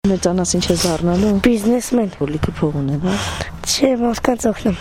Մեծանաս ինչ է զառնալու։ Բիզնեսմեն։ Լիքը փող ունեն, հա։ Չէ, մարդկանց օգնում։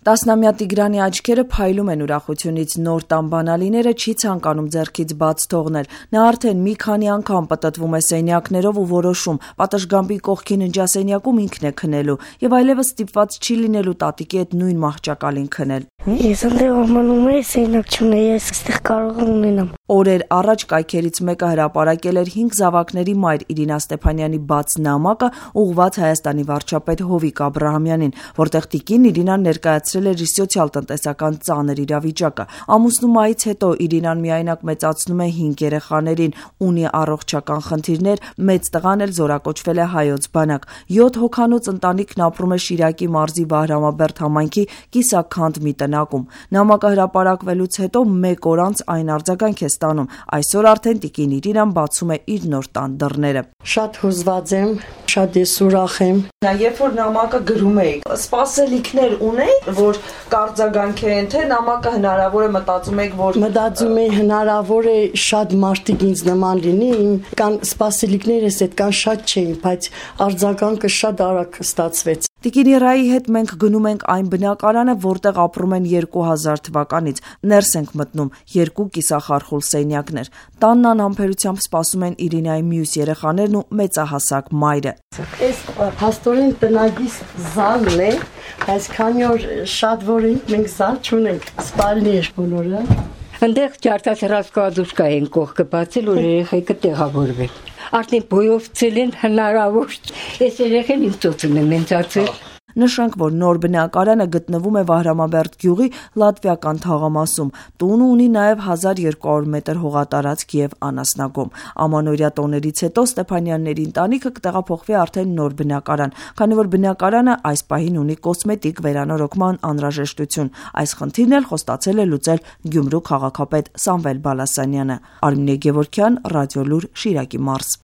10-ամյա Տիգրանի աչքերը փայլում են ուրախությունից, նոր տան բանալիները չի ցանկանում ձեռքից բաց թողնել։ Նա արդեն մի քանի անգամ պտտվում է սենյակներով ու որոշում, պատշգամբի կողքի ննջասենյակում ինքն է քնելու եւ այլևս ստիպված չի լինելու տատիկի հետ նույն մահճակալին քնել։ Ես այնտեղ ամանում եմ, սենյակ չունեմ, ես այստեղ կարող եմ ունենամ։ Օրեր առաջ կայքերից մեկը հրապարակել էր 5 զավակների մայր Իրինա Ստեփանյանի բաց նամակը ուղղված Հայաստանի վարչապետ Հովիկ Աբրահամյանին, որտեղ տիկին Իրինան ներկայացրել էր իր սոցիալ-տնտեսական ծանր իրավիճակը։ Ամուսնու մահից հետո Իրինան միայնակ մեծացնում է 5 երեխաներին, ունի առողջական խնդիրներ, մեծ տղան էլ զորակոչվել է հայոց բանակ։ 7 հոգանոց ընտանիքն ապրում է Շիրակի մարզի Վահրամաբերդ համայնքի Կիսաքանդ մի տնակում։ Նամակը հրապարակվելուց հետո 1 օր անց այն արձագանք է ստանում։ Այսօր արդեն տիկին Իրինան բացում է իր նոր տան դռները։ Շատ հուզված եմ, շատ ես ուրախ եմ։ Երբ որ նամակը գրում էիք, սպասելիքներ ունեիք, որ կարձագանքեն, թե նամակը հնարավոր է մտածում եք, որ մտածում եմ հնարավոր է շատ մարդիկ ինձ նման լինի, կան սպասելիքներս այդքան շատ չէին, բայց արձագանքը շատ արագ ստացվեց։ Տիկին Իրայի հետ մենք գնում ենք այն բնակարանը, որտեղ ապրում են 2000 թվականից։ Ներս ենք մտնում 2 կիսախարխուլ սենյակներ։ Տանն անհամբերությամբ սպասում են Իրինայի մյուս երեխաներն ու մեծահասակ մայրը։ Այս փաստորեն տնագիս զալն է, այս քանի օր շատ որ մենք զալ չունենք, սպալնի է բոլորը։ Այնտեղ ջարդասրասկադուշկա են կողքը բացել, որ երեխեքը տեղավորվեն։ Արդեն բոյովցել են հնարավոր, այս երեխեն ինձ ծոցում են մենցացել։ Նշենք, որ նոր բնակարանը գտնվում է Վահրամաբերդ գյուղի լատվիական թաղամասում։ Տունը ունի նաև 1200 մետր հողատարածք եւ անասնագոմ։ Ամանորյա տոներից հետո Ստեփանյանների ընտանիքը կտեղափոխվի արդեն նոր բնակարան, քանի որ բնակարանը այս պահին ունի կոսմետիկ վերանորոգման անհրաժեշտություն։ Այս խնդիրն էլ խոստացել է լուծել Գյումրու քաղաքապետ Սամվել Բալասանյանը։ Արմինե Գևորգյան, Ռադիոլուր, Շիրակի մարզ։